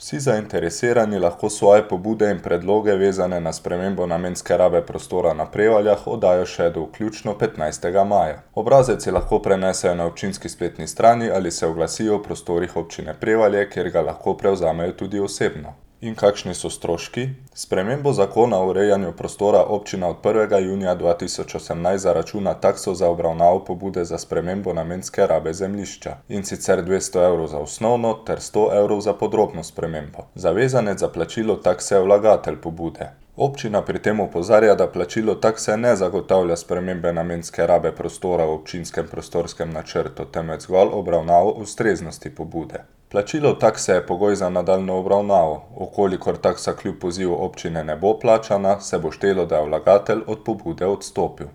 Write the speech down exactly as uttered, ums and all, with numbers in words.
Vsi zainteresirani lahko svoje pobude in predloge, vezane na spremembo namenske rabe prostora na Prevaljah, oddajo še do vključno petnajstega maja. Obrazec si lahko prenesejo na občinski spletni strani ali se oglasijo v prostorih občine Prevalje, kjer ga lahko prevzamejo tudi osebno. In kakšni so stroški? Spremembo zakona o urejanju prostora občina od prvega junija dva tisoč osemnajst zaračuna takso za obravnavo pobude za spremembo namenske rabe zemljišča, in sicer dvesto evrov za osnovno ter sto evrov za podrobno spremembo. Zavezanec za plačilo takse je vlagatelj pobude. Občina pri tem opozarja, da plačilo takse ne zagotavlja spremembe namenske rabe prostora v občinskem prostorskem načrtu, temveč zgolj obravnavo ustreznosti pobude. Plačilo takse je pogoj za nadaljnjo obravnavo. V kolikor taksa kljub pozivu občine ne bo plačana, se bo štelo, da je vlagatelj od pobude odstopil.